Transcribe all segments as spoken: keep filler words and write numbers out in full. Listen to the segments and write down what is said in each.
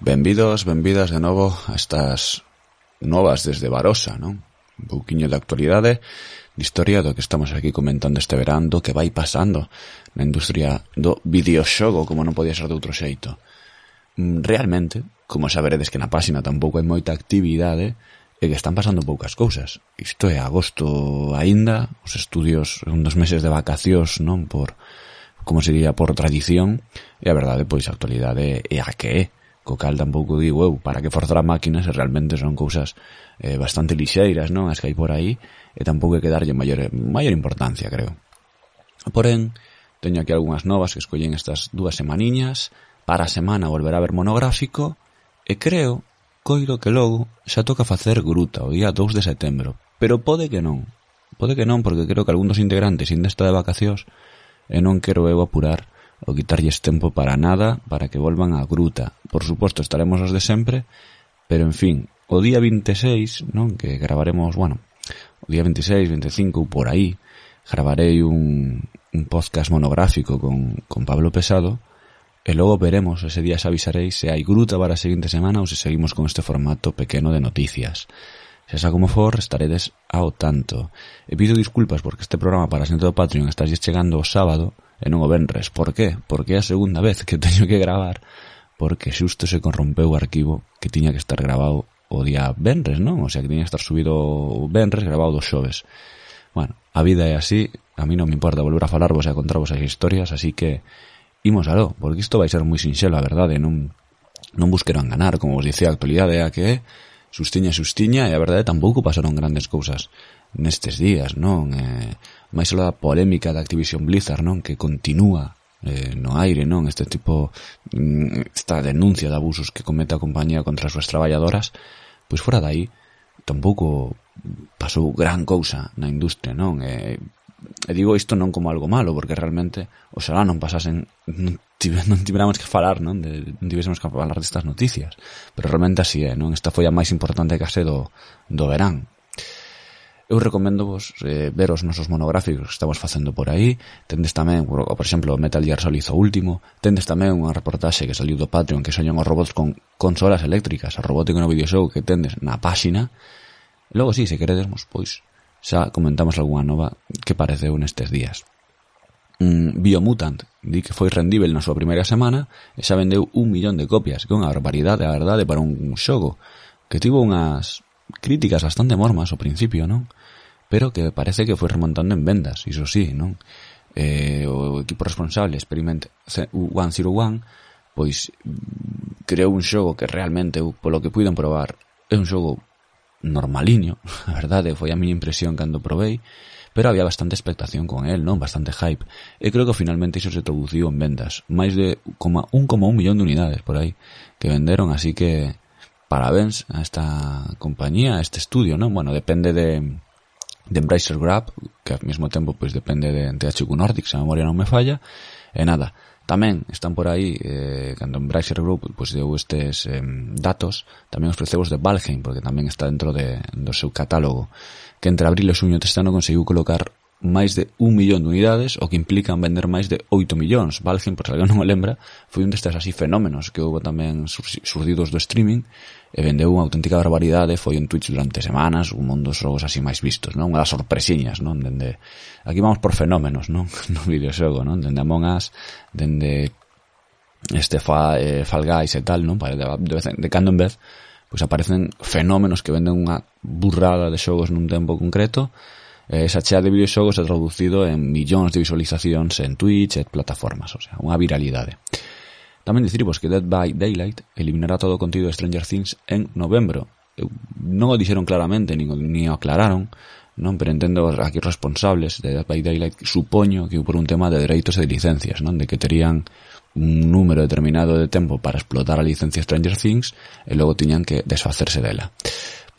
Benvidos, benvidas de novo a estas novas desde Barosa, non? Un pouquiño de actualidade, de historia do que estamos aquí comentando este verán, do que vai pasando na industria do videoxogo, como non podía ser de outro xeito. Realmente, como saberedes que na páxina tampouco hai moita actividade e que están pasando poucas cousas. Isto é agosto aínda, os estudios son dos meses de vacacións, non? Por, como se diría, por tradición, e a verdade, pois, a actualidade é a que é. Co cal tampouco digo eu, para que forzar a máquina se realmente son cousas eh, bastante lixeiras, non? As que hai por aí, e tampouco hai que darlle maior, maior importancia, creo. Porén, teño aquí algunhas novas que escollen estas dúas semaniñas, para a semana volverá a haber monográfico, e creo, coiro que logo, xa toca facer gruta o día dous de setembro, pero pode que non. Pode que non, porque creo que algún dos integrantes ainda está de vacacións, e non quero eu apurar o quitarlles tempo para nada, para que volvan á gruta. Por suposto, estaremos os de sempre, pero en fin, o día vinte e seis, non, que gravaremos, bueno, o día vinte e seis, vinte e cinco, por aí, gravarei un, un podcast monográfico con, con Pablo Pesado, e logo veremos, ese día xa avisarei se hai gruta para a seguinte semana ou se seguimos con este formato pequeno de noticias. Se xa como for, estaredes ao tanto. E pido disculpas porque este programa para a xente do Patreon está chegando o sábado e non o venres. Por qué? Porque é a segunda vez que teño que gravar, porque xusto se corrompeu o arquivo que tiña que estar grabado o día venres, non? O sea, que tiña que estar subido o venres, grabado dos xoves. Bueno, a vida é así, a mí non me importa volver a falarvos e a contarvos as historias, así que imos aló, porque isto vai ser moi sinxelo, a verdade, non, non busquero enganar, como vos dicía, a actualidade é a que é, sustiña, sustiña, e a verdade tampouco pasaron grandes cousas nestes días, non? Eh, máis aló da polémica da Activision Blizzard, non? Que continúa eh, no aire, non? Este tipo, esta denuncia de abusos que comete a compañía contra as súas traballadoras, pois fora dai, tampouco pasou gran cousa na industria, non? E, e digo isto non como algo malo, porque realmente oxalá non pasasen, non, tive, non tiveramos que falar, non? De, non tivésemos que falar destas noticias, pero realmente así é, non? Esta foi a máis importante case do, do verán. Eu recomendo vos eh, ver os nosos monográficos que estamos facendo por aí. Tendes tamén, por, por exemplo, Metal Gear Solid o último. Tendes tamén unha reportaxe que saliu do Patreon que soñan os robots con consolas eléctricas, a robótica no videoxogo que tendes na páxina. E logo, si, sí, se queredes, pois xa comentamos algunha nova que pareceu nestes días. Mm, Biomutant di que foi rendível na súa primeira semana e xa vendeu un millón de copias, que é unha barbaridade, a verdade, para un xogo que tivo unhas críticas bastante mormas ao principio, non? Pero que parece que foi remontando en vendas, iso sí, non? Eh, o equipo responsable, Experiment ciento uno, pois creou un xogo que realmente, polo que puiden probar, é un xogo normaliño, a verdade, foi a miña impresión cando probei, pero había bastante expectación con el, non? Bastante hype. E creo que finalmente iso se traduciu en vendas. Máis de un coma un millón de unidades por aí que venderon, así que parabéns a esta compañía, a este estudio, non? Bueno, depende de, de Embracer Group, que ao mesmo tempo pois depende de T H Q Nordic, se a memoria non me falla, e nada. Tamén están por aí, eh, cando Embracer Group pois deu estes eh, datos, tamén ofreceu os de Valheim, porque tamén está dentro de, do seu catálogo, que entre abril e xuño deste ano conseguiu colocar máis de un millón de unidades, o que implican vender máis de oito millóns. Valheim, por se alguén non o lembra, foi un destes así fenómenos que houve tamén surdidos do streaming, e vendeu unha auténtica barbaridade, foi en Twitch durante semanas, un dos xogos así máis vistos, non? Unha das sorpresiñas, non? Dende, aquí vamos por fenómenos, non? No videoxogo, non? Dende Among Us, dende este fa, eh, Fall Guys e tal, non? De, de, de cando en vez, pois aparecen fenómenos que venden unha burrada de xogos nun tempo concreto. Esa chea de videoxogos é traducido en millóns de visualizacións en Twitch e plataformas, o sea, unha viralidade. Tamén dicirvos que Dead by Daylight eliminará todo o contido de Stranger Things en novembro. Eu, non o dixeron claramente, ni, ni o aclararon, non? Pero entendo aquí os responsables de Dead by Daylight, supoño que por un tema de dereitos e de licencias, non? De que terían un número determinado de tempo para explotar a licencia Stranger Things e logo tiñan que desfacerse dela.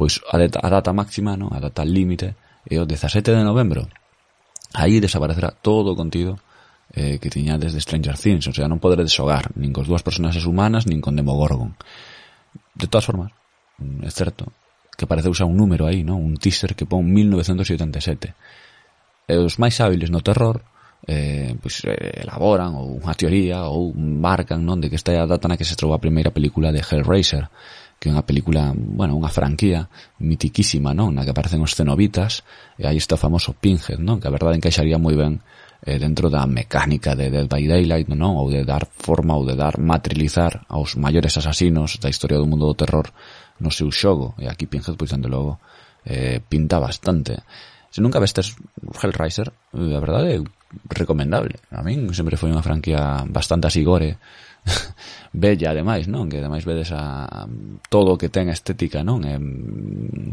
Pois a data, a data máxima, non? A data límite e o dezasete de novembro aí desaparecerá todo o contido eh, que tiña desde Stranger Things, o sea, non poderedes xogar nin cos dúas personaxes humanas nin con Demogorgon. De todas formas, é certo que pareceu xa un número aí, non? Un teaser que pon mil novecentos oitenta e sete. E os máis hábiles no terror eh, pois, eh, elaboran ou unha teoría ou marcan, non, de que esta é a data na que se trou a primeira película de Hellraiser, que é unha película, bueno, unha franquía mitiquísima, non, na que aparecen os cenobitas, e aí está o famoso Pinhead, non, que a verdade encaixaría moi ben eh, dentro da mecánica de Dead by Daylight, non, ou de dar forma ou de dar materializar aos maiores asasinos da historia do mundo do terror no seu xogo, e aquí Pinhead, pois, dende logo, eh, pinta bastante. Se nunca vestes Hellraiser, a verdade é recomendable. A min sempre foi unha franquía bastante así gore, bella ademais, non? Que ademais vedes a todo o que ten estética, non? E,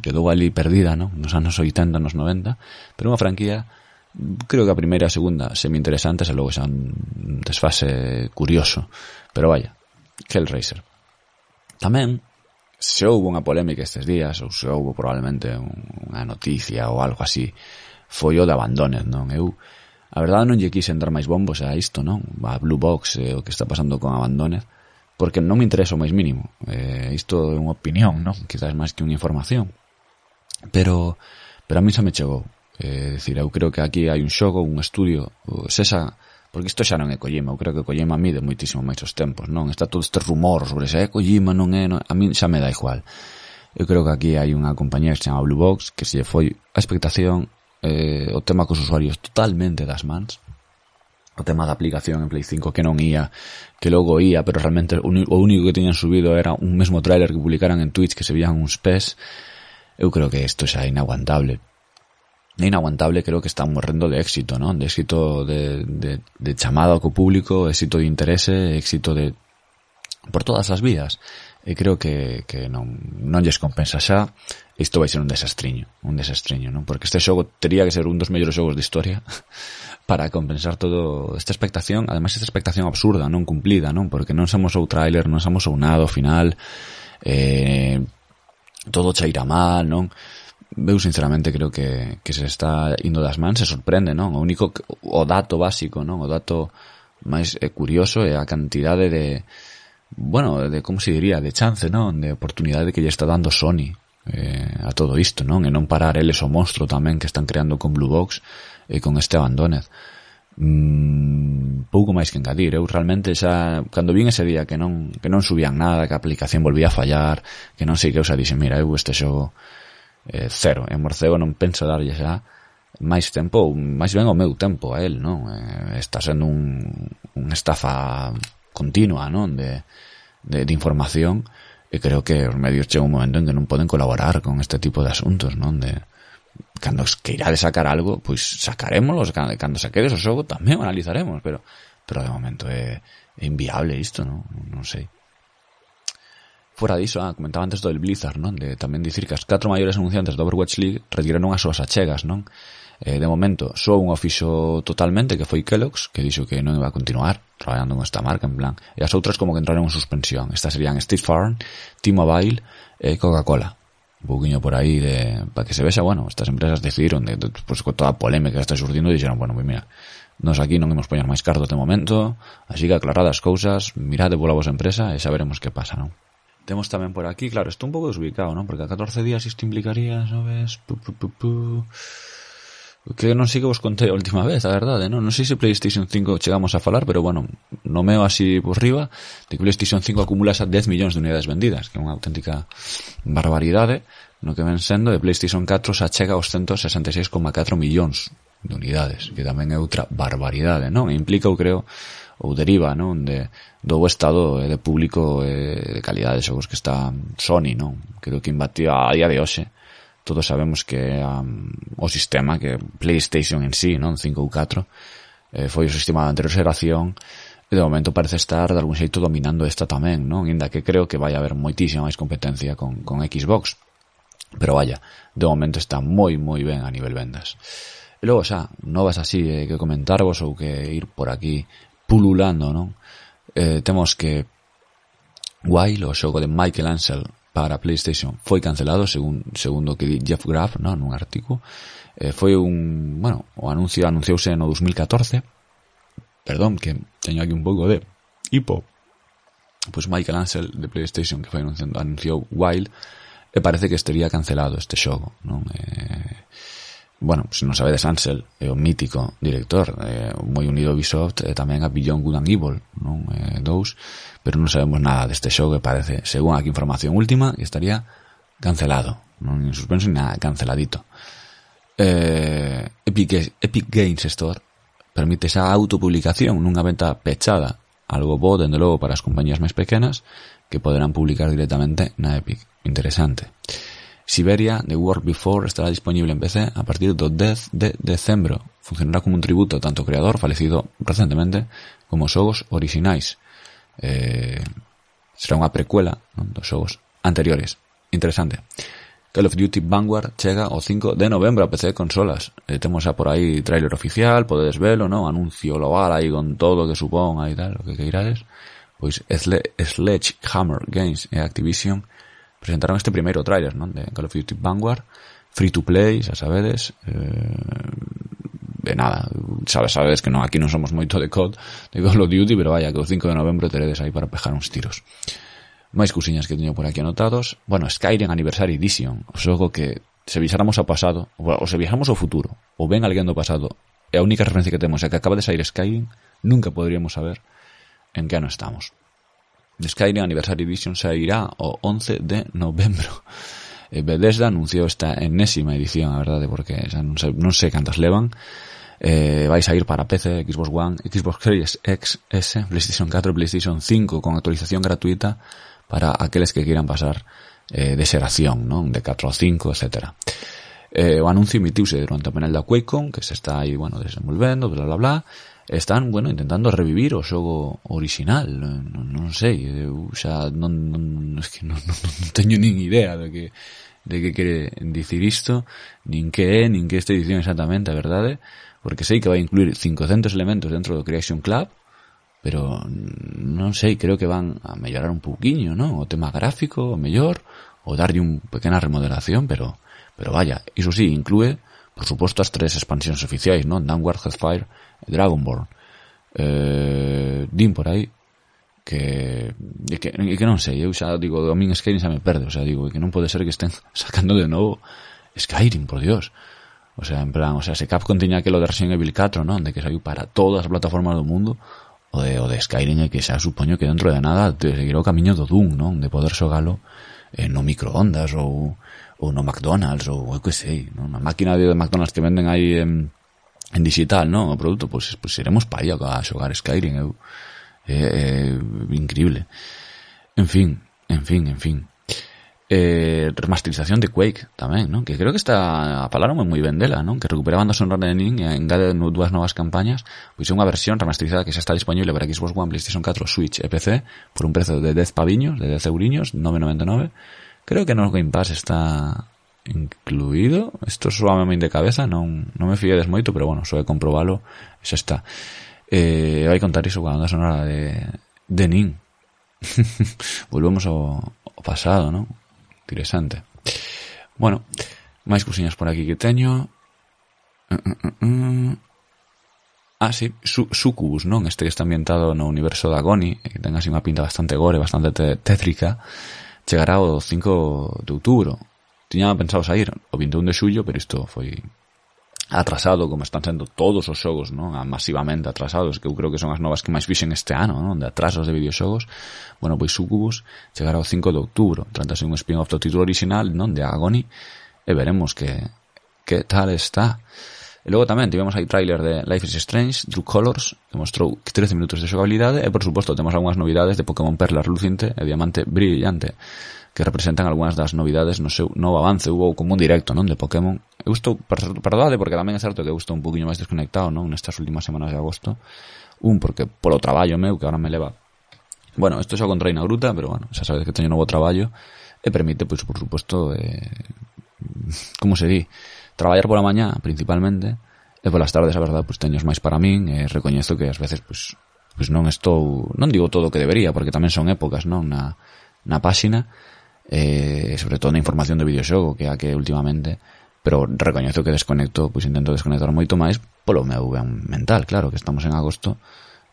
quedou ali perdida, non? Nos anos oitenta, nos noventa, pero unha franquía, creo que a primeira e a segunda semi-interesantes e logo xa un desfase curioso, pero vaya, Hellraiser. Tamén, se houve unha polémica estes días, ou se houve probablemente unha noticia ou algo así, foi o de Abandoned, non? Eu, a verdade, non lle quise entrar máis bombos a isto, non? A Blue Box e o que está pasando con Abandoned, porque non me interesa o máis mínimo. Eh, isto é unha opinión, non? Quizás máis que unha información. Pero, pero a mí xa me chegou. É eh, dicir, eu creo que aquí hai un xogo, un estudio, sexa, porque isto xa non é Kojima, eu creo que Kojima mide moitísimo máis os tempos, non? Está todo este rumor sobre se é Kojima, non é, non, a mí xa me dá igual. Eu creo que aquí hai unha compañía que se chama Blue Box, que se foi a expectación, eh, o tema cos usuarios totalmente das mans, o tema da aplicación en Play cinco que non ia, que logo ia, pero realmente o único que teñan subido era un mesmo trailer que publicaran en Twitch que se vían uns pés. Eu creo que isto xa é inaguantable. É inaguantable, creo que están morrendo de éxito, non? De éxito de, de, de chamada co público, éxito de interese, éxito de por todas as vías. E creo que, que non, non lles compensa xa. Isto vai ser un desastriño, un desastriño, non? Porque este xogo tería que ser un dos mellores xogos de historia para compensar todo esta expectación, ademais esta expectación absurda, non cumplida, non? Porque non somos o trailer, non somos o nada ao final, eh, todo chaira mal, non? Eu sinceramente creo que, que se está indo das mans, se sorprende, non? O único, o dato básico, non? O dato máis eh, curioso é a cantidade de, bueno, de, como se diría, de chance, non? De oportunidade que lle está dando Sony eh, a todo isto, non? E non parar eles o monstro tamén que están creando con Blue Box e con este Abandoned. Mm, pouco máis que engadir. Eu realmente xa, cando vin ese día que non, que non subían nada, que a aplicación volvía a fallar, que non sei que, eu xa dixen, mira, eu este xogo Eh, cero, en Morcego non penso darlle xa máis tempo, máis ben o meu tempo a él, non? Eh, está sendo un, un estafa continua, non? De, de, de información, e creo que os medios chega un momento en que non poden colaborar con este tipo de asuntos, non? De, cando queirades sacar algo, pois sacarémoslos, cando, cando saquedes o xogo tamén o analizaremos, pero pero de momento é, é inviable isto, non? Non sei. Fora diso, ah, comentaba antes do del Blizzard, non? De tamén dicir que as catro maiores anunciantes do Overwatch League retiraron as súas achegas, non? Eh, de momento, só un o fixo totalmente, que foi Kellogg's, que dixo que non iba a continuar traballando con esta marca, en plan. E as outras como que entraron en suspensión. Estas serían State Farm, T-Mobile e Coca-Cola. Un pouquinho por aí de, para que se vexa, bueno, estas empresas decidiron, de, de, pues, con toda a polémica que está surdindo, dixeron, bueno, pues mira, nos aquí non imos poñer máis cartos de momento, así que aclaradas as cousas, mirade pola vosa empresa e xa veremos que pasa, non? Temos tamén por aquí, claro, estou un pouco desubicado, non? Porque a catorce días isto implicaría, sabes, pu, pu, pu, pu, que non sei que vos contei a última vez, a verdade, non? Non sei se PlayStation cinco chegamos a falar, pero bueno, no meo así por riba, de que PlayStation cinco acumula esas dez millóns de unidades vendidas, que é unha auténtica barbaridade, no que ven sendo, de PlayStation catro se achega aos ciento sesenta e seis coma catro millóns de unidades, que tamén é outra barbaridade, non? E implica, eu creo, ou deriva, non, de do estado de público e de calidade de xogos que está Sony, non? Creo que imbatía a día de hoxe. Todos sabemos que um, o sistema, que PlayStation en sí, non, cinco ou catro, eh, foi o sistema da anterior xeración, e de momento parece estar de algún xeito dominando esta tamén, non? Inda que creo que vai haber moitísima máis competencia con, con Xbox. Pero vaya, de momento está moi moi ben a nivel vendas. E logo xa, novas así eh, que comentarvos ou que ir por aquí pululando, non? Eh, temos que Wild, o xogo de Michael Ansel para PlayStation, foi cancelado según segundo que di Jeff Grubb, non, nun artigo. Eh, foi un, bueno, o anuncio anunciouse no dos mil catorce. Perdón, que teño aquí un pouco de hipo. Pois Michael Ansel de PlayStation, que foi anunciando, anunciou Wild, e parece que estaría cancelado este xogo, non? Eh, bueno, se non sabedes, Ansel é o mítico director, eh, moi unido a Ubisoft, e tamén a Beyond Good and Evil, non? Eh, dous, pero non sabemos nada deste xogo, que parece, según aquí información última, que estaría cancelado, non en suspenso ni nada, canceladito. Eh, Epic, Epic Games Store permite esa autopublicación nunha venta pechada, algo bo, dende logo, para as compañías máis pequenas, que poderán publicar directamente na Epic. Interesante. Siberia, The World Before, estará disponible en P C a partir do dez de decembro. Funcionará como un tributo tanto ao creador, falecido recentemente, como os xogos orixinais. Eh, será unha precuela, non, dos xogos anteriores. Interesante. Call of Duty Vanguard chega o cinco de novembro a P C e consolas. Eh, temos xa por aí tráiler oficial, podedes velo, non? Anuncio global aí con todo o que supón aí tal, o que queirades. Pois Sledgehammer Games e Activision presentaron este primeiro tráiler, non? De Call of Duty Vanguard, free to play, xa sabedes, eh, de nada, sabes, sabes que non, aquí non somos moito de C O D, de Call of Duty, pero vaya, que o cinco de novembro teredes aí para pejar uns tiros. Máis cousiñas que teño por aquí anotados. Bueno, Skyrim Anniversary Edition, o xogo que se visáramos ao pasado, ou se viajamos ao futuro, ou ven alguén do pasado, e a única referencia que temos é que acaba de sair Skyrim, nunca poderíamos saber en que ano estamos. The Skyrim Anniversary Edition sairá o once de novembro. Eh, Bethesda anunciou esta enésima edición, a verdade, porque xa non sei, non sei cantas levan. Eh, vai sair para P C, Xbox One, Xbox Series X S, PlayStation catro, PlayStation cinco, con actualización gratuita para aqueles que quieran pasar eh, de xeración, non? De catro a cinco, etcétera. Eh, o anuncio emitiuse durante o panel da QuakeCon, que se está aí, bueno, desenvolvendo, bla, bla, bla. Están, bueno, intentando revivir o xogo original, non, non sei, eu xa non, non, es que non, non, non teño nin idea de que de que quere dicir isto, nin que é, nin que esta edición exactamente, a verdade, porque sei que vai incluir cincocentos elementos dentro do Creation Club, pero non sei, creo que van a mellorar un pouquiño, non? O tema gráfico, o mellor, ou darlle un pequena remodelación, pero pero vaya, iso sí, inclúe, por suposto, as tres expansións oficiais, non? Downward, Hellfire e Dragonborn. Eh, din por aí que, e que, e que non sei, eu xa digo, a min Skyrim xa me perde, o sea, digo, que non pode ser que estén sacando de novo Skyrim, por Dios. O sea, en plan, o sea, se Capcom tiña aquelo de Resident Evil catro, non? De que saiu para todas as plataformas do mundo, o de, o de Skyrim é que xa supoño que dentro de nada te seguirá o camiño do Doom, non? De poder xogalo eh, no microondas ou, ou no McDonald's ou eu que sei, non? Na máquina de McDonald's que venden aí en, en digital, non? O produto, pois, pois iremos pa aí a xogar Skyrim, eu é, é increíble. En fin, en fin, en fin. Eh, remasterización de Quake tamén, non? Que creo que está, falaron moi ben dela, non? Que recupera a banda sonora de Nin e engade dúas novas campañas, pois é unha versión remasterizada que xa está disponible para Xbox One, PlayStation catro, Switch e P C por un prezo de dez paviños, de dez euriños, nove noventa e nove. Creo que no Game Pass está incluído. Isto suavemente de cabeza, non non me fiedes moito, pero bueno, só de comprobalo, xa está. Eh, vai contar iso coa banda sonora de de Nin. Volvemos ao, ao pasado, non? Interesante. Bueno, máis cousiñas por aquí que teño. Uh, uh, uh, uh. Ah, sí, Su- Succubus, non? Este que está ambientado no universo da Agony, que ten así unha pinta bastante gore, bastante te- tétrica. Chegará o cinco de outubro. Tiña pensado sair o vinte e un de xullo, pero isto foi atrasado, como están sendo todos os xogos, non? Masivamente atrasados, que eu creo que son as novas que máis fixen este ano, non? De atrasos de videoxogos. Bueno, pois Succubus chegará o cinco de outubro, trátase un spin-off do título original, non? De Agony, e veremos que que tal está. E logo tamén tivemos aí tráiler de Life is Strange, True Colors, que mostrou trece minutos de xogabilidade, e por suposto temos algunhas novidades de Pokémon Perla Reluciente e Diamante Brillante, que representan algunhas das novidades no seu novo avance. Hubo como un directo, non? De Pokémon. Eu estou, perdade, porque tamén é certo que eu estou un poquinho máis desconectado, non? Nestas últimas semanas de agosto. Un, porque polo traballo meu, que ahora me leva... Bueno, isto xa contraí na gruta, pero bueno, xa sabes que teño novo traballo, e permite, pois, por suposto, eh, como se di, traballar pola mañá, principalmente, e polas tardes, a verdade, pois teños máis para min, e recoñezo que ás veces, pois, pois non estou, non digo todo o que debería, porque tamén son épocas, non? Na, na páxina, eh, sobre todo na información de videoxogo, que a que últimamente, pero recoñezo que desconecto, pois intento desconectar moito máis polo meu ben mental, claro, que estamos en agosto,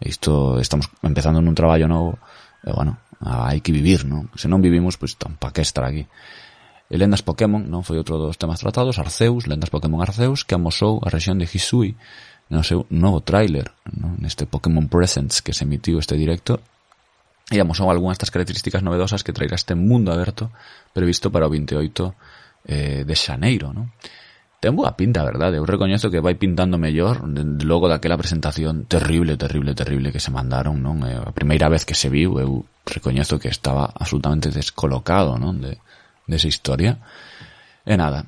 e isto estamos empezando nun traballo novo, e bueno, hai que vivir, non? Se non vivimos, pois tampa que estar aquí. E Lendas Pokémon, non, foi outro dos temas tratados, Arceus, Lendas Pokémon Arceus, que amosou a rexión de Hisui no seu novo tráiler, non, neste Pokémon Presents que se emitiu este directo, e amosou algunhas das características novedosas que trairá este mundo aberto previsto para o veintioito eh, de xaneiro, non? Ten boa pinta, verdade? Eu recoñezo que vai pintando mellor logo daquela presentación terrible, terrible, terrible que se mandaron, non? A primeira vez que se viu, eu recoñezo que estaba absolutamente descolocado, non? De, de esa historia. E nada.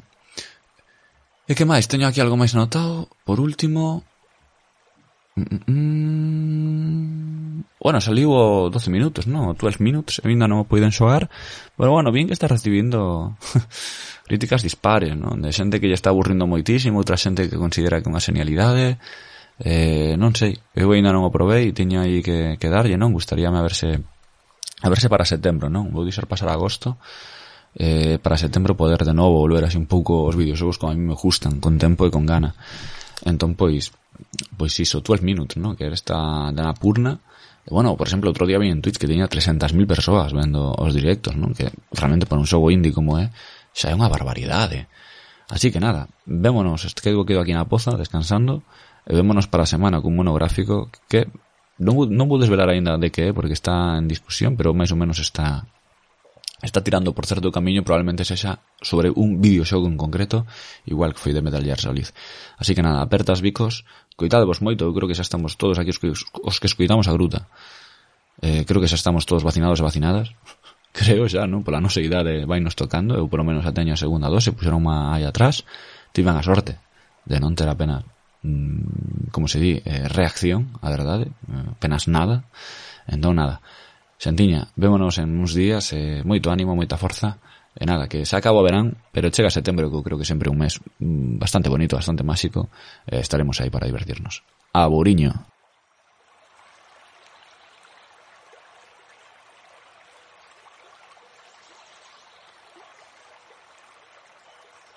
E que máis? Teño aquí algo máis anotado. Por último... Mm, mm, bueno, saliu o doce minutos, non? O doce minutes, e ainda non o poiden xogar. Pero bueno, bien que está recibindo... críticas dispares, non? De xente que lle está aburrindo moitísimo, outra xente que considera que é unha genialidade, eh, non sei, eu ainda non o probei e teño aí que, que darlle, non? Gustaríame a verse a verse para setembro, non? Vou deixar pasar agosto, eh, para setembro poder de novo volver así un pouco os videoxogos como a mí me gustan, con tempo e con gana. Entón, pois, pois iso, doce minutes, non? Que era esta de Annapurna. E, bueno, por exemplo, outro día vi en Twitch que teña trescentas mil persoas vendo os directos, non? Que realmente para un xogo indie como é, xa é unha barbaridade. Así que nada, vémonos, quedo, quedo aquí na poza, descansando, e vémonos para a semana cun monográfico que non, non vou desvelar aínda de que é, porque está en discusión, pero máis ou menos está está tirando por certo camiño, probablemente sexa sobre un videoxogo en concreto, igual que foi de Metal Gear Solid. Así que nada, apertas bicos, coitadevos moito, eu creo que xa estamos todos aquí os que, os que escoitamos a gruta. Eh, creo que xa estamos todos vacinados e vacinadas. Creo xa, non? Pola nosa idade vai nos tocando. Eu, polo menos, a teño a segunda dose. Puxeron unha aí atrás. Tiven a sorte de non ter apenas, mmm, como se di, eh, reacción, a verdade. Apenas nada. Entón, nada. Xantiña, vémonos en uns días. Eh, moito ánimo, moita forza. E nada, que se acaba o verán, pero chega setembro, que eu creo que sempre un mes mmm, bastante bonito, bastante máxico. Eh, estaremos aí para divertirnos. Aburiño.